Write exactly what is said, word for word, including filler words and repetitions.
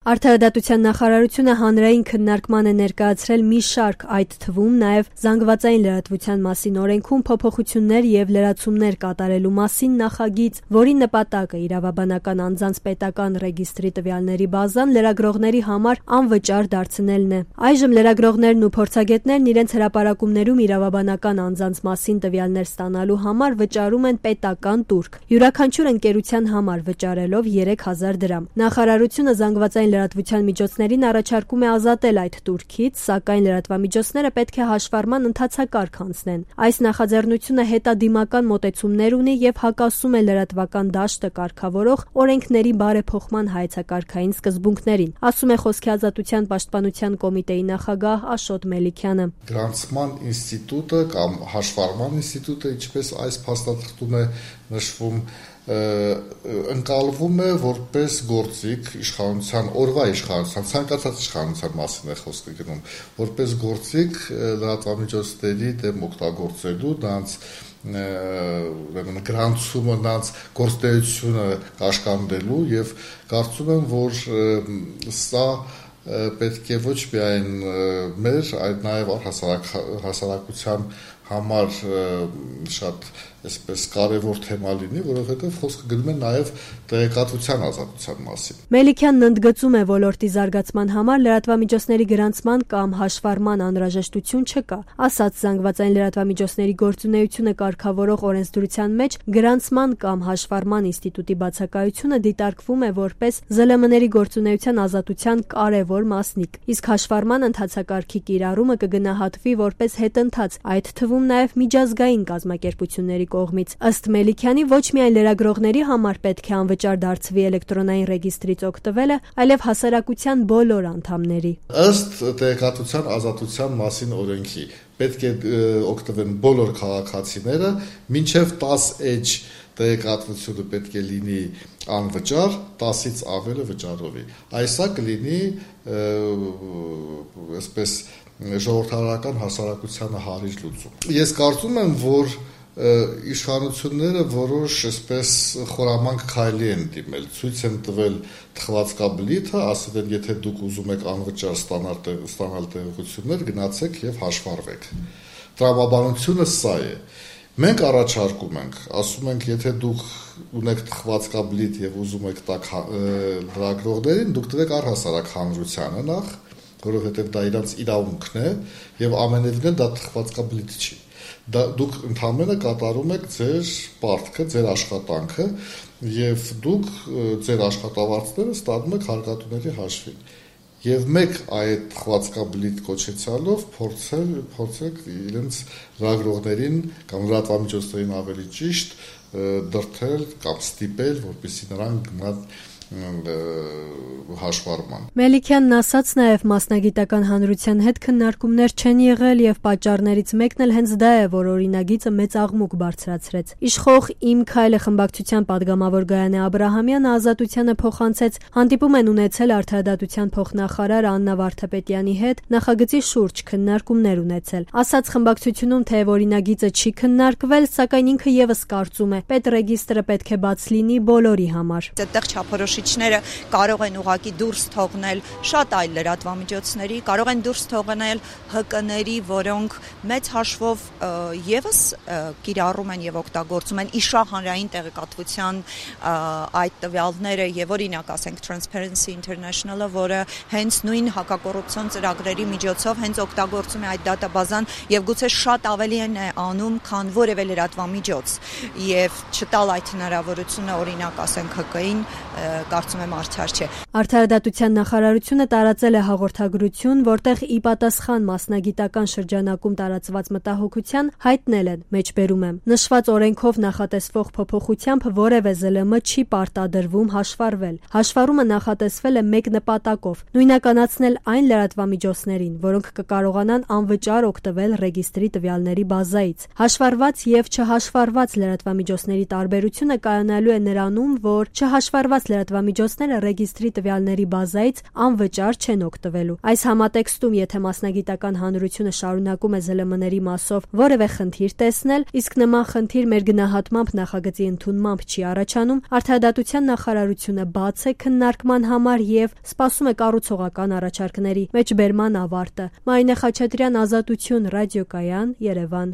Արդարադատության նախարարությունը հանրային քննարկման է ներկայացրել մի շարք, այդ թվում նաև զանգվածային լրատվության մասին օրենքում փոփոխություններ և լրացումներ կատարելու մասին նախագիծ, որի նպատակը իրավաբանական անձանց պետական ռեգիստրի տվյալների բազան լրագրողների համար անվճար դարձնելն է։ Այժմ լրագրողներն ու փորձագետներն իրենց հրապարակումներում իրավաբանական անձանց մասին տվյալներ ստանալու համար վճարում են պետական տուրք, յուրաքանչյուր ընկերության համար վճարելով երեք հազար դրամ։ Նախարարությունը զանգվածային լրատվության միջոցներին առաջարկում է ազատել այդ տուրքից, սակայն լրատվամիջոցները պետք է հաշվառման ընթացակարգ անցնեն։ Այս նախաձեռնությունը հետադիմական մոտեցումներ ունի և հակասում է լրատվական դաշտը կարգավորող օրենքների բարեփոխման հայեցակարգային սկզբունքներին, ասում է Խոսքի ազատության պաշտպանության կոմիտեի նախագահ Աշոտ Մելիքյանը։ Գրանցման ինստիտուտը կամ հաշվառման ինստիտուտը, ինչպես այս փաստաթղթում է նշվում, ընկալվում է որպես գործիք իշխանության, օրվա իշխանության, ցանկացած իշխանության մասին է խոսքը գնում, որպես գործիք լրատվամիջոցների դեմ օգտագործելու, նրանց գրանցումը, նրանց գործունեությունը կաշկանդելու, եւ կարծում եմ, որ սա պետք է ոչ միայն մեր, այլ նաև հասարակության համար շատ այսպես կարևոր թեմա լինի, որովհետև խոսքը գնում է նաև տեղեկատվության ազատության մասին։ Մելիքյանն ընդգծում է, ոլորտի զարգացման համար լրատվամիջոցների գրանցման կամ հաշվառման անհրաժեշտություն չկա, ասաց զանգվածային լրատվամիջոցների գործունեությունը կարգավորող օրենսդրության մեջ գրանցման կամ հաշվառման ինստիտուտի բացակայությունը դիտարկվում է որպես ԶԼՄ-ների գործունեության ազատության կարևոր մասնիկ, իսկ հաշվառման ընթացակարգի կիրառումը կգնահատվի որպես հետընթաց, այդ թվում նաև միջազգային կազմակերպությունների կողմից։ Ըստ Մելիքյանի, ոչ միայն լրագրողների համար պետք է անվճար դարձվի էլեկտրոնային ռեգիստրից օգտվելը, այլև հասարակության բոլոր անդամների։ Ըստ տեղեկատվության ազատության մասին օրենքի պետք է օգտվեն բոլոր քաղաքացիները, մինչև տաս էջ տեղեկատվությունը պետք է լինի անվճար, տասից ավելը վճարովի։ Այսա կլինի այսպես ժողովրդավարական հասարակությանը հարիր լուծում։ Ես կարծում եմ, որ իշխանությունները որոշ այսպես խորամանկ քայլի են դիմել, ցույց են տվել թխվածքաբլիթը, ասել են, եթե դուք ուզում եք անվճար ստանալ ստանալ տեղեկություններ, գնացեք եւ հաշվառվեք։ Տրամաբանությունը սա է։ Մենք առաջարկում ենք, ասում ենք, եթե դուք ունեք թխվածքաբլիթ եւ ուզում եք տակ լրագրողներին, դուք տվեք առհասարակ հանրությանը նախ, որովհետեւ դա իրանց իրավունքն է եւ ամենևին դա թխվածքաբլիթ չի։ Դա դուք ընդհանրապես կատարում եք ձեր պարտքը, ձեր աշխատանքը եւ դուք ձեր աշխատավարձները ստանում եք հարկատուների հաշվին։ Եվ մեկ այդ թխվածքաբլիթ կոչեցյալով փորձել փորձեք իրենց լրագրողներին կամ լրատվամիջոցներին ավելի ճիշտ դրդել կամ ստիպել, որպեսզի նրանք գնան հաշվառման։ Մելիքյանն ասաց նաև մասնագիտական հանրության հետ քննարկումներ չեն եղել եւ պատճառներից մեկն էլ հենց դա է, որ օրինագիծը մեծ աղմուկ բարձրացրեց։ Իշխող «Իմ քայլը» խմբակցության падգամավոր Գայանե Աբրահամյանը ազատությանը փոխանցեց հանդիպում են ունեցել արդարադատության փոխնախարար Աննա Վարդապետյանի հետ նախագծի շուրջ քննարկումներ ունեցել։ Ասաց խմբակցությունում, թե օրինագիծը չի քննարկվել, սակայն ինքը եւս կարծում է, պետռեգիստրը պետք է բաց լինի բոլորի համար։ Այդտեղ չափորոշիչները կարող են ուղղակի դուրս թողնել շատ այլ լրատվամիջոցների, կարող են դուրս թողնել Հ Կ-ների, որոնք մեծ հաշվով եւս կիրառում են եւ օգտագործում են իշխանհանրային տեղեկատվության այդ տվյալները եւ օրինակ ասենք Transparency International-ը, որը հենց նույն հակակոռուպցիոն ծրագրերի միջոցով հենց օգտագործում է այդ դատաբազան եւ գուցե շատ ավելի են անում, քան որևէ լրատվամիջոց եւ չտալ այդ հնարավորությունը օրինակ ասենք Հ Կ-ին կարծում եմ արդար չէ։ Արդարադատության նախարարությունը տարածել է հաղորդագրություն, որտեղ ի պատասխան մասնագիտական շրջանակում տարածված մտահոգության հայտնել են, մեջբերում եմ, նշված օրենքով նախատեսվող փոփոխությամբ որևէ ԶԼՄ չի պարտադրվում հաշվառվել։ Հաշվառումը նախատեսվել է մեկ նպատակով՝ նույնականացնել այն լրատվամիջոցներին, որոնք կկարողանան անվճար օգտվել ռեգիստրի տվյալների բազայից։ Հաշվառված եւ չհաշվառված լրատվամիջոցների տարբերությունը կայանալու է նրանում, որ չհաշվառված լրատվամիջոցները ռեգիստրի տվյալների ԶԼՄ-ների բազայից անվճար չեն օգտվելու։ Այս համատեքստում, եթե մասնագիտական հանրությունը շարունակում է ԶԼՄ-ների մասով որևէ խնդիր տեսնել, իսկ նման խնդիր մեր գնահատմամբ նախագծի ընդունմամբ չի առաջանում, Արդարադատության նախարարությունը բաց է քննարկման համար եւ սպասում է կառուցողական առաջարկների մեջբերման ավարտը։ Մարինե Խաչատրյան, Ազատություն, Ռադիոկայան, Երևան։